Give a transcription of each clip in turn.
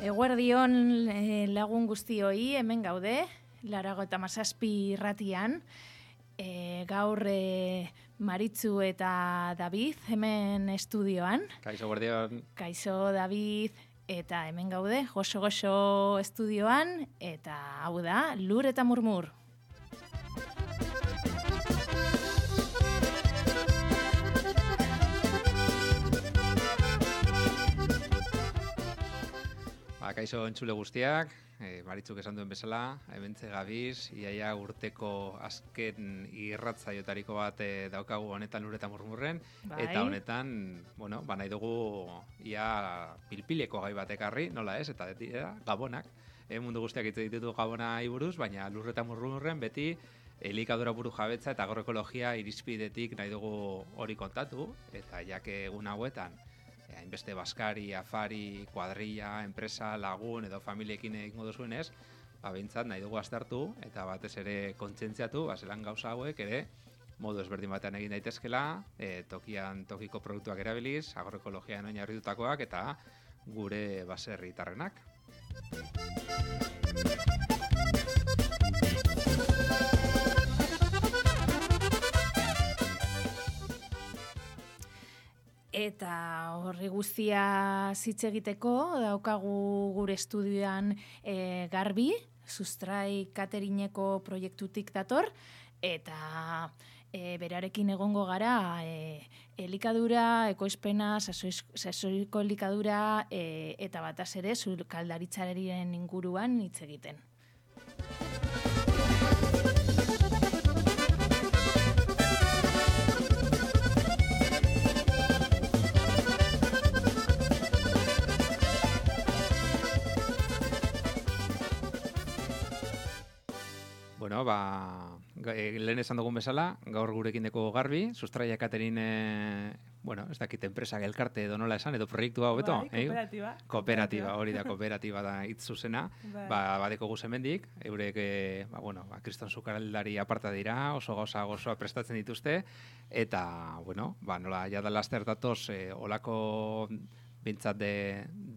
Eguerdion lagun guztioi hemen gaude, 97 irratian. Gaur Maritzu eta David hemen estudioan. Kaixo, eguerdion. Kaixo, David, eta hemen gaude, goxo-goxo estudioan, eta hau da, Lur eta Murmur. Kaixo entzule guztiak, Maritzuk esan duen bezala, hementze gabiz, iaia urteko azken irratzaiotariko bat daukagu honetan Lur eta Murmurren, Bai. Eta honetan, nahi dugu ia pilpileko gai bat ekarri, nola ez, eta gabonak, mundu guztiak hitz ditutu gabonai buruz, baina Lur eta Murmurren beti elikadura buru jabetza eta agroekologia irizpidetik nahi dugu hori kontatu, eta jake egun hauetan, hainbeste baskari, afari, kuadrilla, enpresa, lagun edo familiekin egingo duzuenez, behintzat nahi dugu aztertu eta batez ere kontzentziatu, zelan gauza hauek ere modu ezberdin batean egin daitezkela, tokiko produktuak erabiliz, agroekologian oinarritutakoak eta gure baserritarrenak. Eta horri guztia hitz egiteko daukagu gure estudioan Garbi, Sustrai Cateringeko proiektutik dator, eta berarekin egongo gara elikadura, ekoizpena, sasoiko elikadura eta bataz ere sukaldaritzaren inguruan hitz egiten. Lehen esan dugun bezala, gaur gurekin deko Garbi, Sustraia Catering, ez dakit enpresak elkarte edo nola esan, edo proiektua hobeto? Bai, kooperatiba. Kooperatiba, hori da, kooperatiba da hitz zuzena, badeko guz hemendik, eurek, kriston sukaldari aparta dira, oso gauza gozoa prestatzen dituzte, eta, nola, jada laster datoz, olako bintzat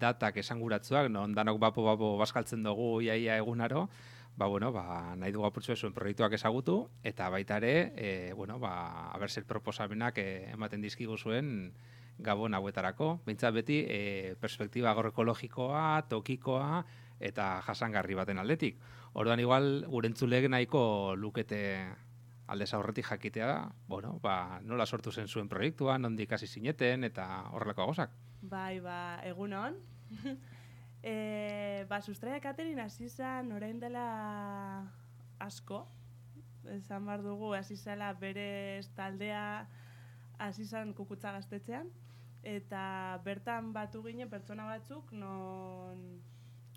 datak esanguratzuak, non danok bapo bazkaltzen dugu iaia egunaro, nahi dugu apurtzu zuen proiektuak ezagutu, eta baita ere, abertzer proposamenak ematen dizkigu zuen gabon hauetarako. Bintzat beti, perspektiba agroekologikoa, tokikoa, eta jasangarri baten aldetik. Orduan igual, gure entzulek nahiko lukete aldez aurretik jakitea, nola sortu zen zuen proiektua, nondik hasi zineten, eta horrelako gozak. Bai, egunon. Sustraia Catering hasi zen orain dela asko, esan behar dugu, hasi zela bere taldea hasi zen Kukutza gaztetxean, eta bertan batu ginen pertsona batzuk, non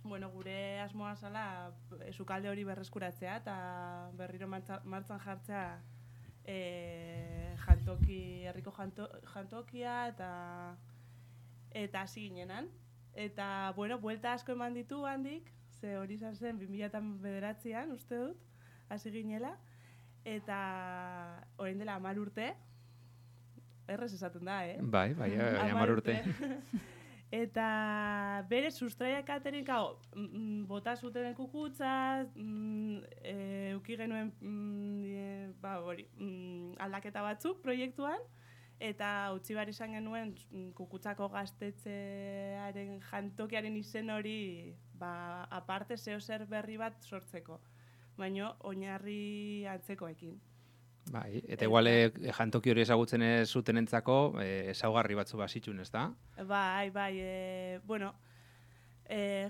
gure asmoa zela sukalde hori berreskuratzea eta berriro martzan jartzea herriko jantokia eta hasi ginenan. Eta, buelta asko eman ditu handik, ze hori izan zen 2009an, uste dut, hasi ginela, eta orain dela 10 urte, errez esaten da, Bai, 10 urte. Eta bere Sustraia Catering, bota zuten Kukutza, euki genuen aldaketa batzuk proiektuan, eta utzi behar izan genuen Kukutzako gaztetxearen jantokiaren izen hori aparte zer berri bat sortzeko, baina oinarri antzekoekin. Bai, eta igual jantoki hori ezagutzen ez zutenentzako ezaugarri batzu bazitxun, ez da? Bai,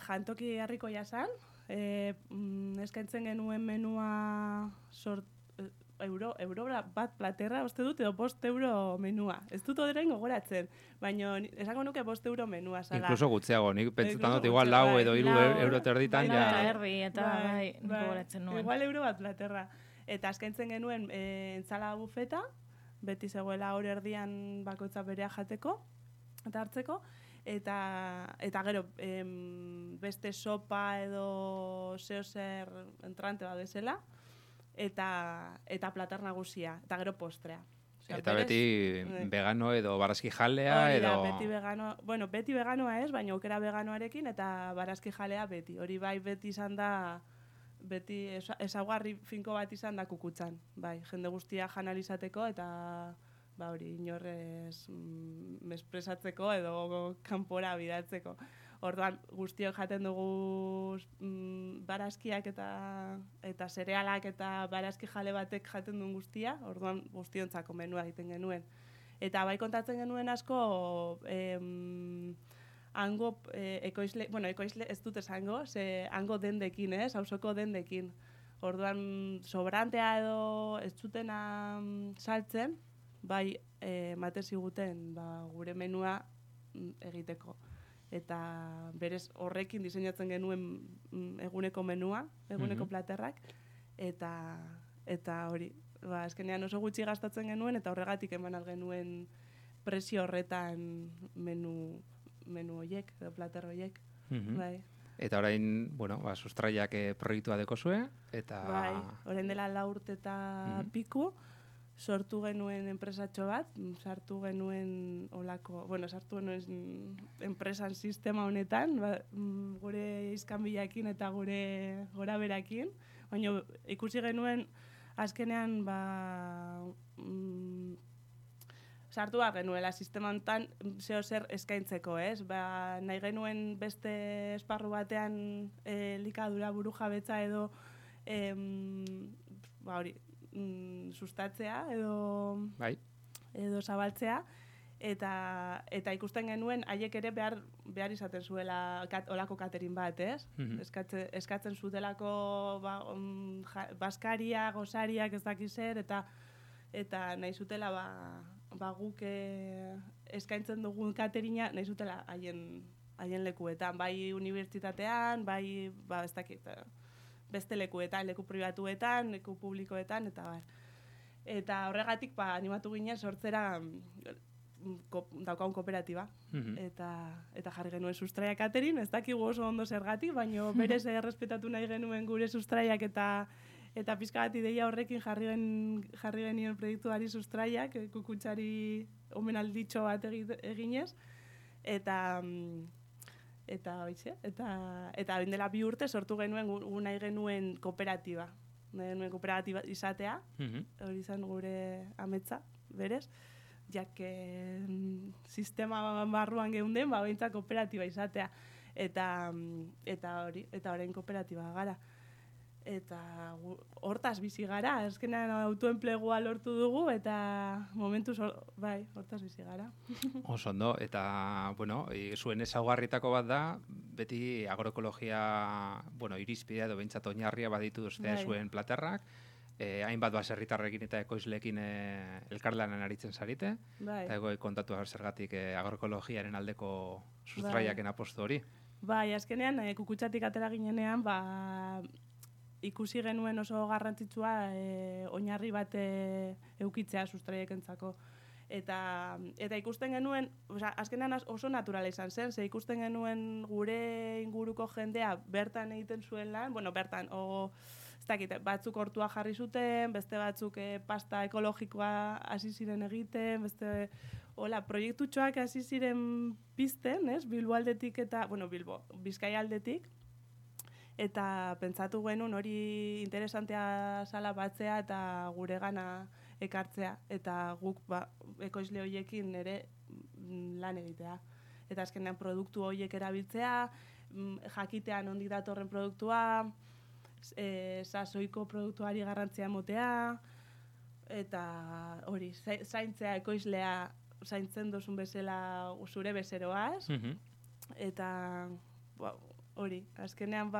jantoki herriko jasan, eskaintzen genuen menua euro bat platerra, uste dut, edo 5 euro menua. Ez dut oderain gogoratzen, baina esango nuke 5 euro menua zala. Inkluso gutxiago, nik pentsetan dut igual 4 edo 3 euro terditan, gogoratzen nuen. Igual euro bat platerra. Eta eskaintzen genuen entzala bufeta, beti zegoela hor erdian bakoitza berea jateko, eta hartzeko, eta gero beste sopa edo zer entrante bat bezala, eta plater nagusia, eta gero postrea. Eta beti vegano edo barazki jalea edo... Beti vegano, bueno, beti veganoa ez, baina aukera veganoarekin eta barazki jalea beti. Hori bai beti izan da, beti ezaugarri finko bat izan da kukutzan. Bai, jende guztia janalizateko eta hori inorrez mespresatzeko edo kanpora bidatzeko. Orduan guztiok jaten dugu barazkiak eta zerealak eta barazki jale batek jaten duen guztia, orduan guztiontzako menua egiten genuen. Eta bai kontatzen genuen asko hango ekoizle, bueno, ekoizle ez dut esango, ze hango dendekin, auzoko dendekin. Orduan sobrantea edo ez zutena saltzen, bai ematen ziguten gure menua egiteko. Eta berez horrekin diseinatzen genuen eguneko menua, eguneko platerrak, eta hori, azkenean oso gutxi gastatzen genuen, eta horregatik eman genuen prezio horretan menu horiek, edo plater horiek. Bai. Eta orain, bueno, sustraiak proiektua dekozue, eta... Bai, orain dela 4 urte eta piku, sortu genuen enpresatxo bat, sartu genuen enpresan sistema honetan, gure izkanbilakin eta gure goraberakin, baina ikusi genuen azkenean sartu behar genuela sistema honetan zeo zer eskaintzeko, ez? Nahi genuen beste esparru batean elikadura burujabetza edo hori, sustatzea edo zabaltzea eta ikusten genuen haiek ere behar izaten zuela olako catering bat, ez? Eskatzen zutelako baskaria, gozariak ez dakiz zer eta nahi zutela guk eskaintzen dugun cateringa nahi zutela haien lekuetan, bai unibertsitatean, bai ez dakit beste lekuetan, leku pribatuetan, leku publikoetan, eta bar. Eta horregatik animatu ginen sortzera daukagun kooperatiba. Eta jarri genuen sustraia catering, ez dakigu oso ondo zergatik, baina berez errespetatu nahi genuen gure sustraiak eta pizka bat ideia horrekin jarri genien proiektuari sustraiak, kukutzari omenalditxo bat eginez, eta hoitxe, eta hain dela 2 urte sortu genuen nahi genuen kooperatiba. Nahi genuen kooperatiba izatea, hori izan gure ametsa, berez, jake sistema barruan geunden, behintzat kooperatiba izatea. Eta orain kooperatiba gara. Eta hortaz bizi gara, azkenean autoenplegua lortu dugu, eta momentuz, bai, hortaz bizi gara. Oso ondo, eta, bueno, zuen ezaugarritako bat da, beti agroekologia, bueno, irizpidea edo behintzat oinarria baditu duzte zuen platerrak, hainbat baserritarrekin eta ekoizleekin elkarlanan aritzen zarite, eta kontatu zergatik agroekologiaren aldeko sustraiaken apostu hori. Bai, azkenean, kukutzatik atera ginenean, ikusi genuen oso garrantzitsua oinarri bat eukitzea sustraiekentzako. Eta ikusten genuen, azkenean oso naturala izan zen, ze ikusten genuen gure inguruko jendea bertan egiten zuen lan, bueno, bertan, ez dakit, batzuk hortua jarri zuten, beste batzuk pasta ekologikoa hasi ziren egiten, beste, proiektutxoak hasi ziren pizten, Bilbo aldetik eta, Bizkaia aldetik, eta pentsatu genuen hori interesantea zala batzea eta guregana ekartzea, eta guk ekoizle horiekin ere lan egitea. Eta azkenean produktu horiek erabiltzea, jakitean ondik datorren produktua, sasoiko produktuari garrantzia emotea, eta hori, zaintzea ekoizlea zaintzen dozun bezala zure bezeroaz, eta hori, azkenean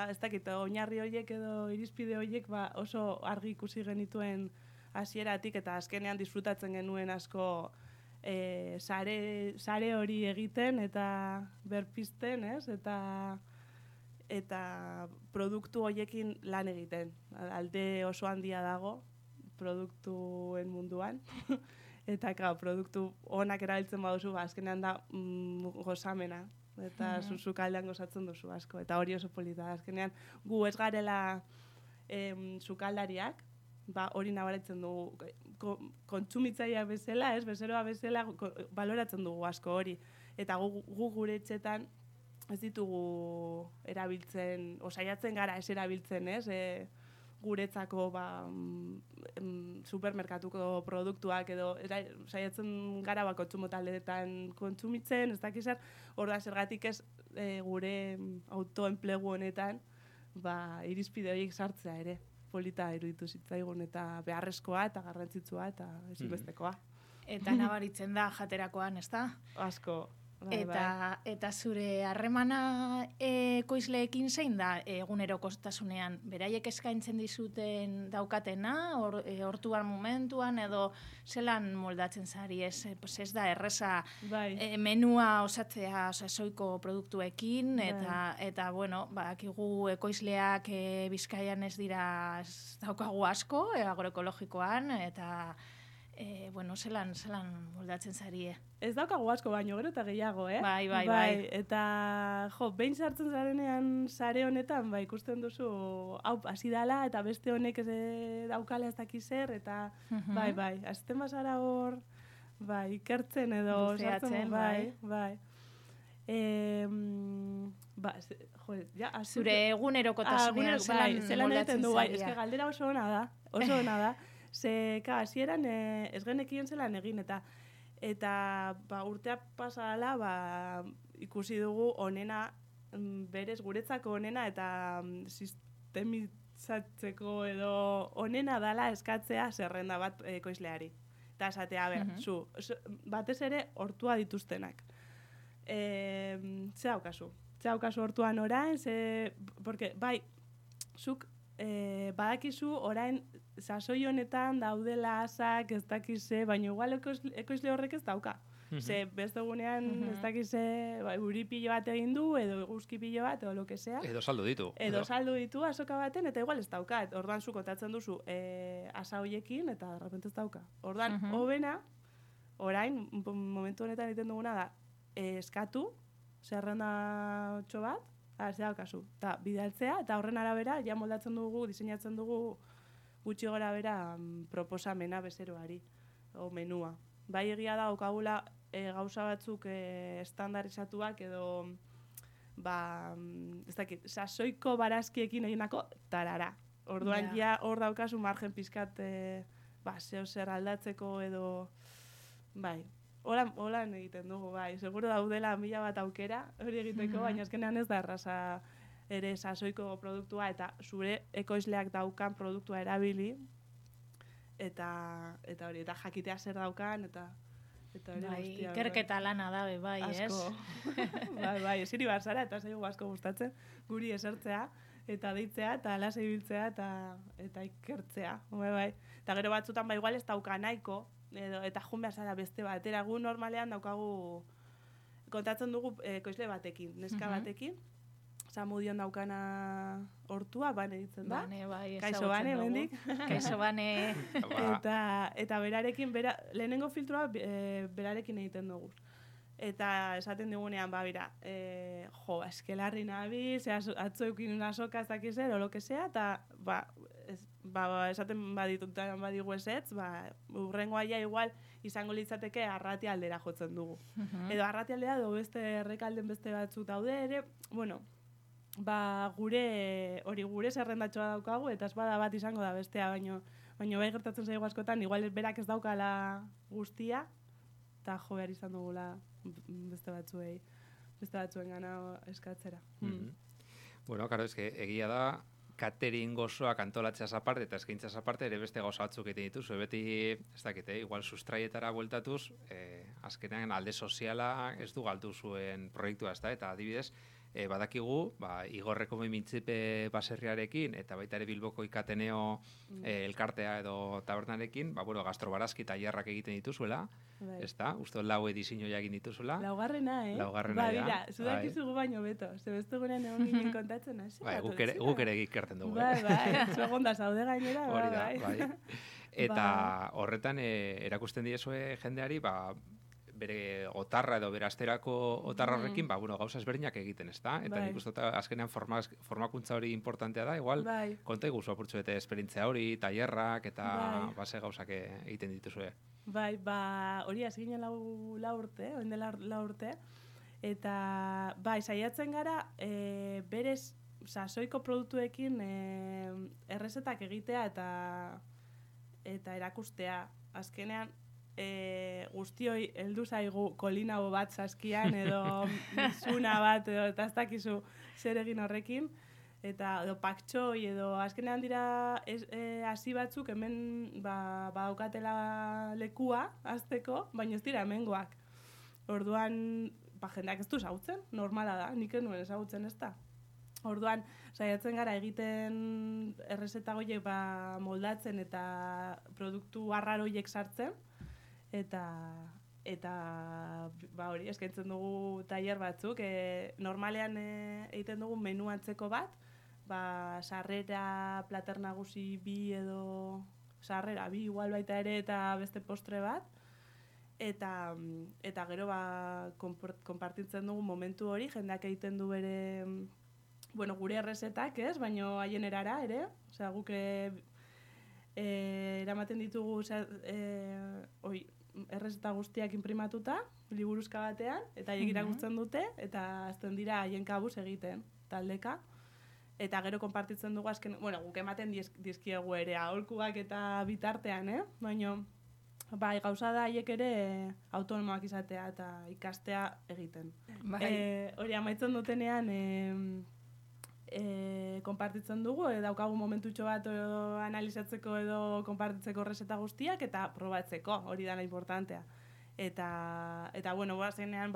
ez dakit, oinarri horiek edo irizpide horiek oso argi ikusi genituen hasieratik eta azkenean disfrutatzen genuen asko sare hori egiten eta berpizten, eta produktu horiekin lan egiten. Alde oso handia dago produktuen munduan. Eta, produktu onak erabiltzen baduzu, azkenean da gozamena. Eta sukaldean gozatzen duzu asko. Eta hori oso polita. Azkenean, gu ez garela sukaldariak, hori nabaritzen dugu. kontsumitzailea bezala, bezeroa bezala baloratzen dugu asko hori. Eta gu gure etxetan ez ditugu erabiltzen, saiatzen gara ez erabiltzen, guretzako supermerkatuko produktuak edo saiatzen gara kontsumo taldeetan kontsumitzen, ez dakiz zer, orda zergatik ez gure autoenplegu honetan irizpide horiek sartzea ere. Polita iruditu zitzaigun eta beharrezkoa eta garrantzitsua eta ezinbestekoa. Eta nabaritzen da jaterakoan, ez da? Asko. Eta zure harremana ekoizleekin zein da egunerokotasunean? Beraiek eskaintzen dizuten daukatena, hortuan momentuan, edo zelan moldatzen zari, ez da erreza menua osatzea soiko produktuekin, eta bueno, bakigu ekoizleak Bizkaian ez dira, ez daukagu asko, agroekologikoan, eta bueno, zelan moldatzen zari, Ez daukagu asko baino, gero eta gehiago, Bai. Eta, behin sartzen zarenean sare honetan, ikusten duzu, hau, hasi dala, eta beste honek daukala ez dakiz zer, eta, bai, azten bazara hor, ikertzen edo, sartzen, bai. Zure egunerokotasunean zelan moldatzen zari. Eske galdera oso ona da. Ze, hasieran ez genekien zelan egin, eta urtea pasa dela, ikusi dugu onena, berez guretzako onena, eta sistemizatzeko edo onena dala eskatzea zerrenda bat ekoizleari. Eta esatea, zu, batez ere hortua dituztenak. Ze haukazu hortuan orain, porque, zuk badakizu orain sasoi honetan daudela asak ez dakize, baina igual ekoizle horrek ez dauka. Ze beste egunean ez dakize uri pilo bat egin du, edo eguzki pilo bat, edo lo que sea. Edo saldu ditu. Edo saldu ditu asoka baten, eta igual ez dauka. Orduan zu kontatzen duzu asa hoiekin, eta de repente ez dauka. Orduan, hobena, orain, momentu honetan egiten duguna da, eskatu, zerrenda txo bat, ze daukazu. Eta bidaltzea, eta horren arabera, ja moldatzen dugu, diseinatzen dugu, gutxi gora bera proposamena bezeroari, o menua. Bai egia da, okagula gauza batzuk estandarizatuak edo, ez dakit, sasoiko barazkiekin eginako tarara. Orduan ja hor daukazu margen pizkat zeo zer aldatzeko edo, bai, holan egiten dugu, bai. Seguro daudela 1000 bat aukera hori egiteko, baina azkenean ez da erraza ere sasoiko produktua eta zure ekoizleak daukan produktua erabili eta hori, eta jakitea zer daukan eta hori guztia. Ikerketa lana da, bai, ez? Asko. Bai, esiri barzara eta zaigu asko gustatzen guri esertzea eta deitzea eta lasai biltzea eta ikertzea. Bai. Eta gero batzutan igual ez dauka nahiko eta jun behar zara beste batera. Gu normalean daukagu kontatzen dugu ekoizle batekin, neska batekin. Zamudion daukana hortua, bane ditzen da. Bane, bai, Kaixo bane, mendik. Kaixo bane. Eta berarekin, lehenengo filtroa berarekin egiten dugu. Eta esaten digunean, bera, eskelarri nabiz, atzoekin asoka ez dakizer, o lo que sea, eta esaten badigu ezetz, urrengo aia igual izango litzateke arrati aldera jotzen dugu. Edo arrati aldera, edo beste errekalden beste batzuk daude ere, bueno, gure zerrendatxoa daukagu, eta ez bada bat izango da bestea, baino bai gertatzen zaigu askotan, igual berak ez daukala guztia, eta jo behar izan dugula beste batzuen gana eskatzera. Bueno, karo, egia da, catering gozoak antolatzeaz aparte eta eskaintzaz aparte ere beste gauza batzuk egiten dituzu. Beti, ez dakite, igual sustraietara bueltatuz, azkenean alde soziala ez du galdu zuen proiektua, ez da, eta adibidez, badakigu, Igorreko mintzipe baserriarekin eta baita ere Bilboko Ikateneo elkartea edo tabernarekin, gastrobarazki tailerrak egiten dituzuela, ez da? Uste 4 edizioa egin dituzuela. Laugarrena, Laugarrena, ja. Mira, zudakizugu baino beto, zebeste gurean egon ginen kontatzen, hasi. Guk ere ikerten dugu. Bai, zuegonda zaude gainera, bai. Eta horretan erakusten diezue jendeari, bere otarra edo bere asterako otarra horrekin, bueno, gauza ezberdinak egiten, ezta? Eta nik uste azkenean formakuntza hori importantea da, igual, konta iguzu apurtzu bete esperientzia hori, tailerrak eta base gauzak egiten dituzue. Bai, hori azginen lau urte, oin dela 4 urte, eta saiatzen gara berez soiko produktuekin errezetak egitea eta erakustea. Azkenean, guztioi heldu zaigu kolinabo bat saskian edo zuna bat edo eta ez dakizu zer egin horrekin edo paktxoi edo azkenean dira hasi batzuk hemen badaukatela lekua hasteko, baina ez dira hemengoak. Orduan, jendeak ez du ezagutzen, normala da, nik nuen ezagutzen ez da. Orduan, saiatzen gara egiten errezeta horiek moldatzen eta produktu arraroiek sartzen, eta hori eskaintzen dugu tailer batzuk. Normalean egiten dugu menu antzeko bat, sarrera, plater nagusi 2 edo sarrera 2 igual baita ere eta beste postre bat. Eta gero konpartitzen dugu momentu hori, jendeak egiten du bere, gure errezetak, ez? Baina haien erara ere, osea, guk eramaten ditugu errezeta guztiak inprimatuta, liburuzka batean, eta haiek irakurtzen dute, eta azten dira haien kabuz egiten, taldeka. Eta gero konpartitzen dugu azken, guk ematen dizkiegu ere aholkuak eta bitartean, baina gauza da haiek ere autonomoak izatea eta ikastea egiten. Hori amaitzen dutenean konpartitzen dugu, daukagu momentutxo bat analizatzeko edo konpartitzeko errezeta guztiak eta probatzeko, hori dana importantea. Eta zenean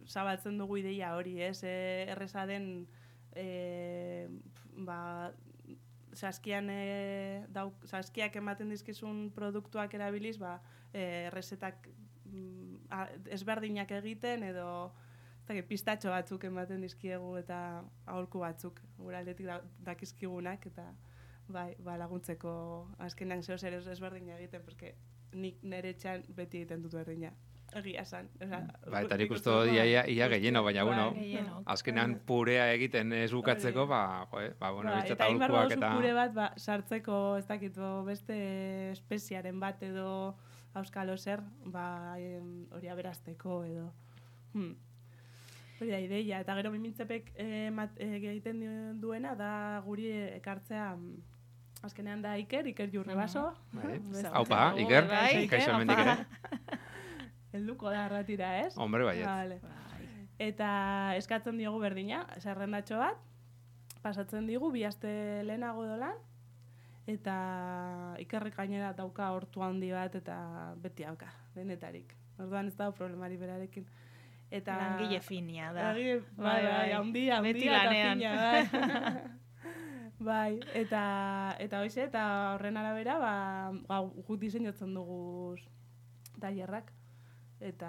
zabaltzen dugu ideia hori, erreza den saskiak ematen dizkizun produktuak erabiliz, errezetak ezberdinak egiten edo pistatxo batzuk ematen dizkiegu eta aholku batzuk gure aldetik dakizkigunak eta laguntzeko azkenean zeo zer ezberdina egiten, porque nik nire etxean beti egiten dut berdina. Egia esan. Eta nik uste ia gehieno, baina, azkenean purea egiten ez bukatzeko, eta inbar baduzu pure bat sartzeko, ez dakit, beste espeziaren bat edo auskalo zer, hori aberazteko edo. Hori da ideia, eta gero mimintzepek egiten duena da guri ekartzea, azkenean da Iker Jurrebaso. Haupa, Iker, kaixo hemendik ere. Helduko da arratira, ez? Hombre, baiet. Eta eskatzen diogu berdina, zerrendatxo bat, pasatzen digu, 2 aste lehenago dolan, eta Ikerrek gainera dauka hortu handi bat, eta beti hauka, denetarik. Orduan ez dago problemari berarekin. Langile finia da. Handia, beti lanean. Eta hoize, eta horren arabera, guk diseinatzen dugu tailerrak. Eta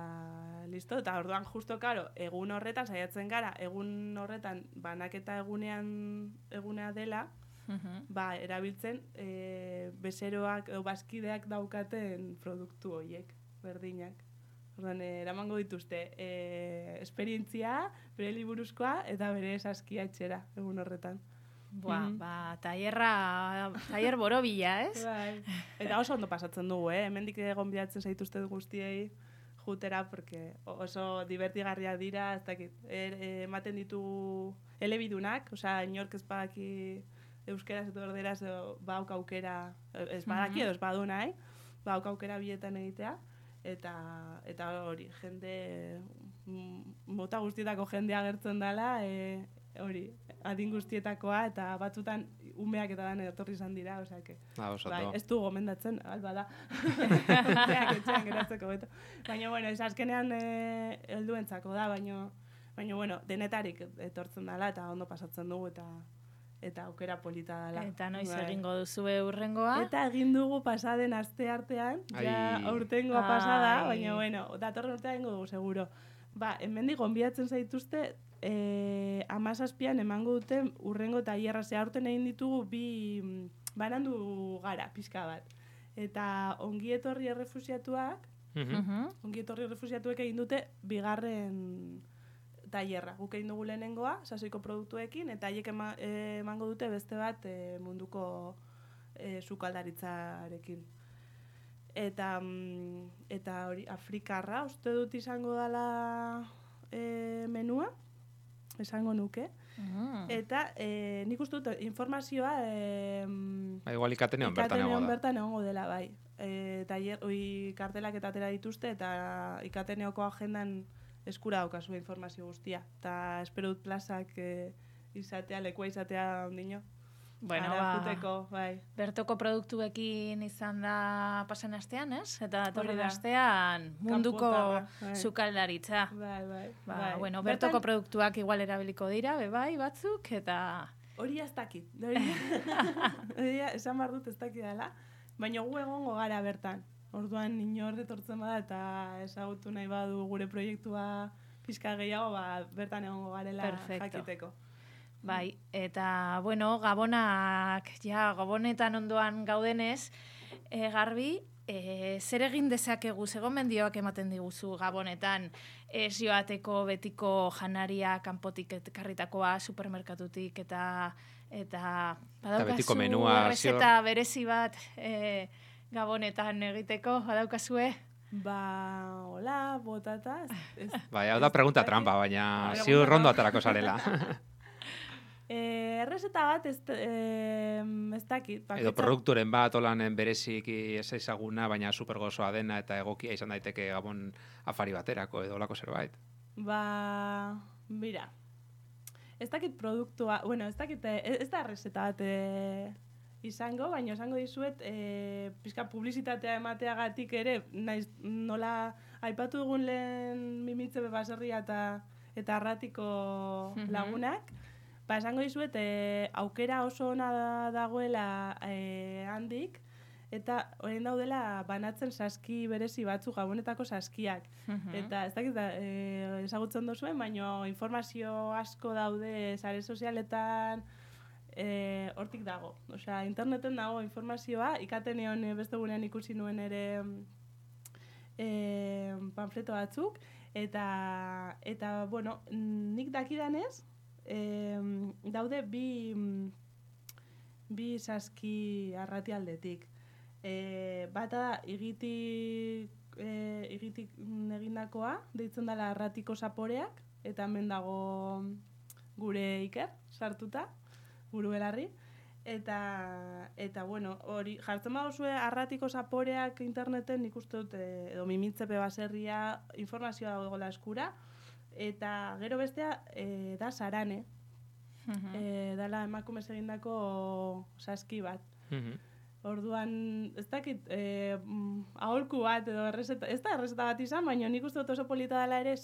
listo, eta orduan justo, karo, egun horretan, saiatzen gara, egun horretan banaketa egunea dela, erabiltzen bezeroak edo bazkideak daukaten produktu horiek, berdinak. Orduan, eramango dituzte esperientzia, bere liburuzkoa eta bere saskia etxera egun horretan. Tailer borobila, ez? Eta oso ondo pasatzen dugu, hemendik gonbidatzen zaituzte guztiei jutera, porque oso divertigarria dira, ez dakit, ematen ditu elebidunak, osea, inork ez badaki euskeraz eta orderaz bauk aukera, ez badaki edo ez badu nahi, bauk aukera bietan egitea, eta hori, jende, mota guztietako jendea agertzen dela, hori, adin guztietakoa, eta batzutan umeak eta dan etorri izan dira, osea, ez du gomendatzen, alba da, umeak etxean geratzeko beto. Baina, ez azkenean helduentzako da, baina, denetarik etortzen dela, eta ondo pasatzen dugu, eta aukera polita dela. Eta noiz egingo duzu urrengoa? Eta egin dugu pasaden aste artean, aurtengoa pasada, baina, datorren urtea egingo dugu, seguro. Hemendik gonbidatzen zaituzte, 17an emango dute urrengo tailerra, aurten egin ditugu banandu gara, pixka bat. Eta ongi etorri errefusiatuak, Ongi etorri refusiatuek egin dute bigarren tailerra. Guk egin dugu lehenengoa, sasoiko produktuekin, eta haiek emango dute beste bat munduko sukaldaritzarekin. Eta hori, Afrikarra, uste dut izango dela menua, esango nuke. Eta nik uste dut informazioa igual ikatenean bertan egongo dela, bai. Kartelak eta atera dituzte, eta ikateneoko agendan eskura daukazu informazio guztia. Eta espero dut plazak lekua izatea ondino. Bueno, bai. Bertoko produktuekin izan da pasan astean, ez? Eta torren astean munduko sukaldaritza. Bai. Bueno, bertoko produktuak igual erabiliko dira, bai, batzuk, eta... Hori ez dakit. Esan behar dut ez dakit dela. Baina gu egongo gara bertan. Orduan inor etortzen bada eta ezagutu nahi badu gure proiektua pixka gehiago, bertan egongo garela jakiteko. Bai, eta, bueno, Gabonetan ondoan gaudenez, Garbi, zer egin dezakegu, zegomendioak ematen diguzu Gabonetan, ez joateko betiko janaria kanpotik ekarritakoa, supermerkatutik, eta badaukazu errezeta berezi bat Gabonetan egiteko, badaukazue? Hola, botata. Bai, hau da pregunta trampa, baina ziur rondo aterako zarela. Errezeta bat ez dakit. Edo produkturen bat, olanen bereziki ez ezaguna, baina supergozoa dena eta egokia izan daiteke Gabon afari baterako edo olako zerbait. Mira, ez dakit produktua, bueno, ez dakit, ez da errezeta bat izango, baina esango dizuet, pixka publizitatea emateagatik ere, nola aipatu dugun lehen Mimitze Baserria eta Arratiko lagunak, esango dizuet, aukera oso ona dagoela handik, eta orain daudela banatzen saski berezi batzuk, Gabonetako saskiak. Eta ez dakit ezagutzen duzuen, baina informazio asko daude sare sozialetan, hortik dago. Osea, interneten dago informazioa, ikatenean beste gunean ikusi nuen ere panfleto batzuk, eta bueno, nik dakidanez, daude bi saski Arratialdetik. Bata da igitik egindakoa, deitzen dela Arratiko Zaporeak, eta hemen dago gure Iker sartuta, buru belarri. Eta bueno, hori jartzen baduzue Arratiko Zaporeak interneten, nik uste dut, edo Mimitze Baserria informazioa dagoela eskura. Eta gero bestea da Sarane. Dala emakumez egindako saski bat. Orduan, ez dakit, aholku bat edo errezeta, ez da errezeta bat izan, baina nik uste dut oso polita dela ere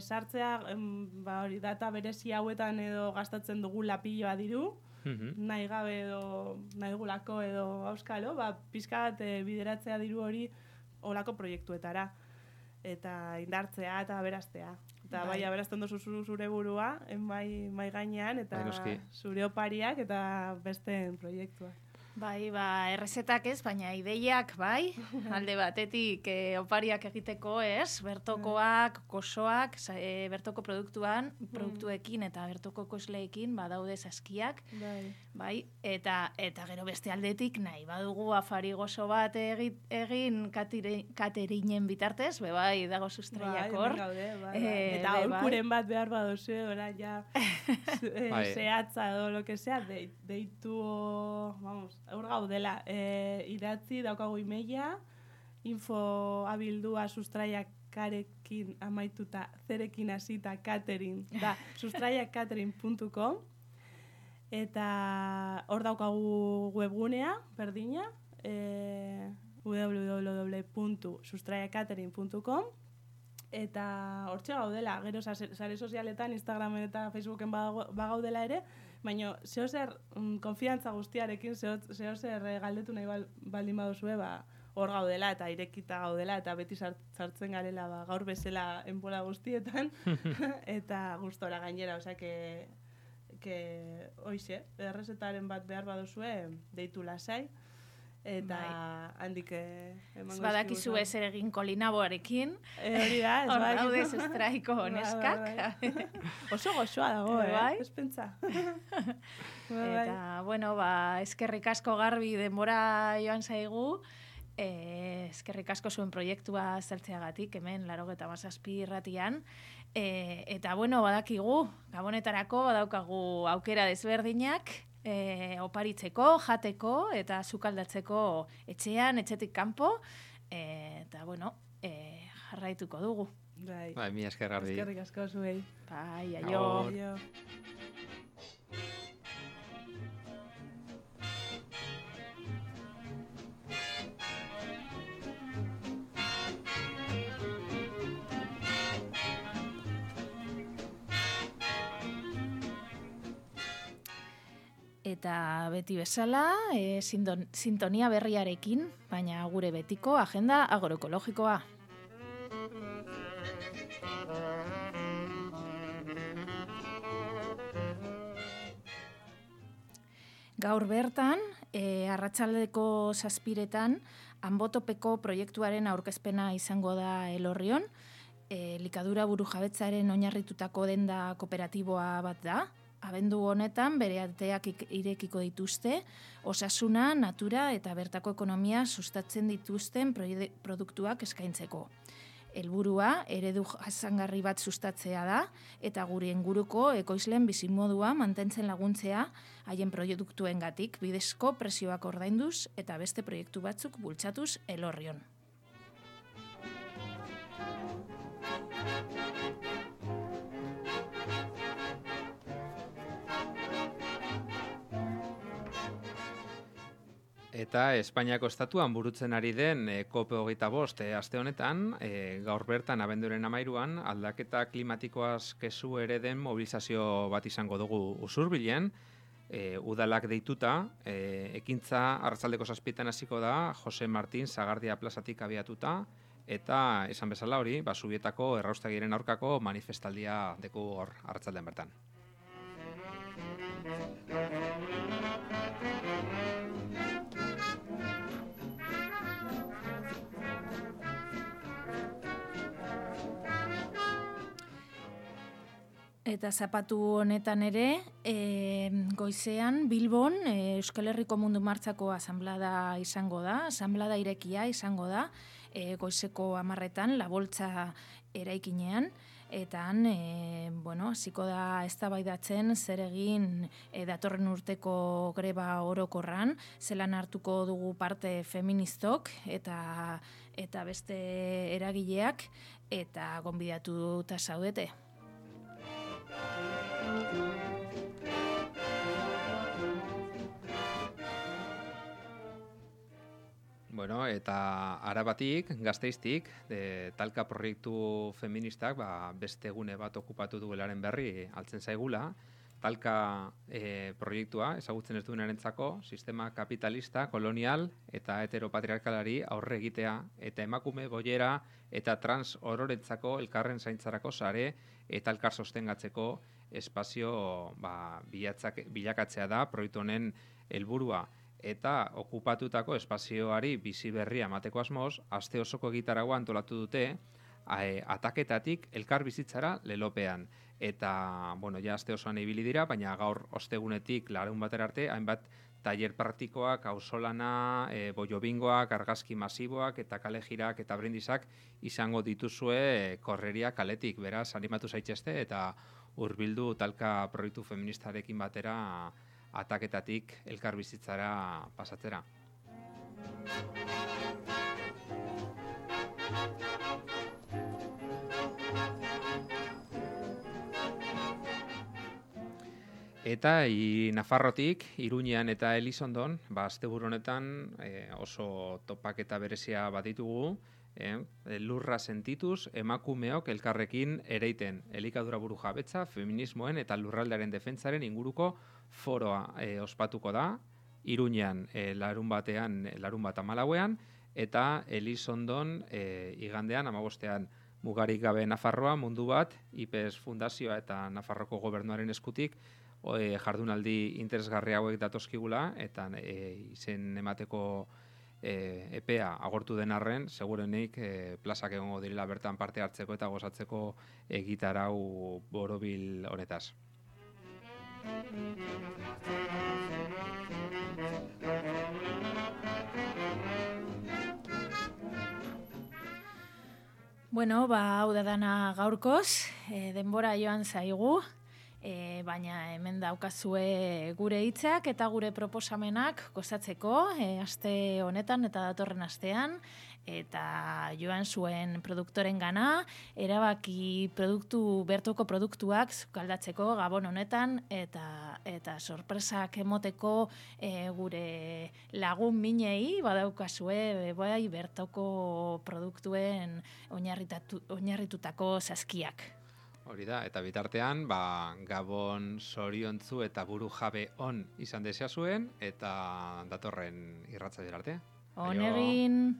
sartzea, hori data berezi hauetan edo gastatzen dugu lapilloa diru, nahi gabe edo nahi gulako edo auskalo, pixka bat bideratzea diru hori olako proiektuetara. Eta indartzea eta aberastea. Eta bai aberazten duzu zure burua, mai gainean, eta zure opariak eta beste proiektua. Bai, errezetak ez, baina ideiak, bai, alde batetik opariak egiteko ez, bertokoak, kosoak, bertoko produktuekin eta bertoko kosleekin badaude saskiak, bai, eta gero beste aldetik nahi badugu afari gozo bat egin katerinen bitartez, bai, dago sustraiak hor. Eta aholkuren bat behar baduzu, ja, zehatza edo lo que sea, deitu, vamos, hor gaudela, idatzi daukagu emaila, info@abildua sustraiakarekin amaituta, zerekin hasita catering, da sustraiakatering.com, eta hor daukagu webgunea, berdina, www.sustraiakatering.com, eta hortxe gaudela, gero sare sozialetan, Instagramen eta Facebooken bagaudela ere, baina zehozer konfiantza guztiarekin, zehozer galdetu nahi baldin baduzue, hor gaudela eta irekita gaudela, eta beti sartzen garela gaur bezala enbola guztietan, eta gustora gainera, osea, hoize, errezetaren bat behar baduzue, deitu lasai, eta handik emango badakizu ez ere egin kolinaboarekin. Hori da, ez Hor bai. daude estraiko neskak. Oso goxoa dago, Bai. ez pentsa. Eta, bueno, eskerrik asko Garbi denbora joan zaigu. Eskerrik asko zuen proiektua zertzeagatik, hemen 97 irratian. Eta, bueno, badakigu, gabonetarako badaukagu aukera desberdinak, oparitzeko, jateko eta sukaldatzeko etxean, etxetik kanpo. Eta, bueno, jarraituko dugu. Bai, mi esker Garbi. Eskerrik asko zuei. Bai, aio. Eta beti bezala, sintonia berriarekin, baina gure betiko agenda agroekologikoa. Gaur bertan, arratsaldeko 7:00 Anbotopeko proiektuaren aurkezpena izango da Elorrion. Likadura burujabetzaren oinarritutako denda kooperatiboa bat da. Abendu honetan bere ateak irekiko dituzte, osasuna, natura eta bertako ekonomia sustatzen dituzten produktuak eskaintzeko. Helburua eredu jasangarri bat sustatzea da eta gure inguruko ekoizlen bizimodua mantentzen laguntzea haien produktuengatik bidezko prezioak ordainduz eta beste proiektu batzuk bultzatuz Elorrion. Eta Espainiako estatuan burutzen ari den COP25 aste honetan, gaur bertan abenduaren 13an aldaketa klimatikoaz kezu ere den mobilizazio bat izango dugu Usurbilen, udalak deituta, ekintza arratsaldeko 7:00 hasiko da Jose Martin Sagardia plazatik abiatuta, eta esan bezala hori, Zubietako erraustegiren aurkako manifestaldia deku hor arratsaldean bertan. Eta zapatu honetan ere, goizean Bilbon Euskal Herriko Mundu Martxako asanblada izango da, asanblada irekia izango da, goizeko 10:00 La Boltza eraikinean, eta han, hasiko da eztabaidatzen zer egin datorren urteko greba orokorran, zelan hartuko dugu parte feministok eta beste eragileak, eta gonbidatuta zaudete. Bueno, eta Arabatik, Gasteiztik, talka proiektu feministak beste egune bat okupatu duelaren berri altzen zaigula. Talka proiektua, ezagutzen ez duenarentzako, sistema kapitalista, kolonial eta heteropatriarkalari aurre egitea eta emakume boiera eta trans ororentzako elkarren zaintzarako sare eta elkar sostengatzeko espazio bilakatzea da proiektu honen helburua. Eta okupatutako espazioari bizi berria emateko asmoz, aste osoko egitaragoa antolatu dute ataketatik elkar bizitzara lelopean. Eta, ja aste osoan ibili dira, baina gaur ostegunetik larunbatera arte, hainbat tailer praktikoak, auzolana, boiobingoak, argazki masiboak eta kalejirak eta brindizak izango dituzue korreria kaletik. Beraz, animatu zaitezte eta hurbildu talka proiektu feministarekin batera ataketatik elkar bizitzara pasatzera. Eta Nafarrotik, Iruñean eta Elizondon, asteburu honetan oso topaketa berezia baditugu, lurra sentituz emakumeok elkarrekin ereiten elikadura burujabetza, feminismoen eta lurraldearen defentsaren inguruko foroa ospatuko da, Iruñean larunbat 14ean, eta Elizondon igandean 15ean. Mugarik gabe Nafarroa mundu bat, IPES Fundazioa eta Nafarroko gobernuaren eskutik jardunaldi interesgarri hauek datozkigula, eta izen emateko epea agortu den arren, segurenik plazak egongo direla bertan parte hartzeko eta gozatzeko egitarau borobil honetaz. Bueno, hau da dana gaurkoz, denbora joan zaigu, baina hemen daukazue gure hitzak eta gure proposamenak gozatzeko aste honetan eta datorren astean, eta joan zuen produktoren gana, erabaki bertoko produktuak sukaldatzeko Gabon honetan, eta sorpresak emoteko gure lagun minei badaukazue bai bertoko produktuen oinarritutako saskiak. Hori da, eta bitartean, Gabon zoriontzu eta buru jabe on izan desea zuen, eta datorren irratza arte. On egin!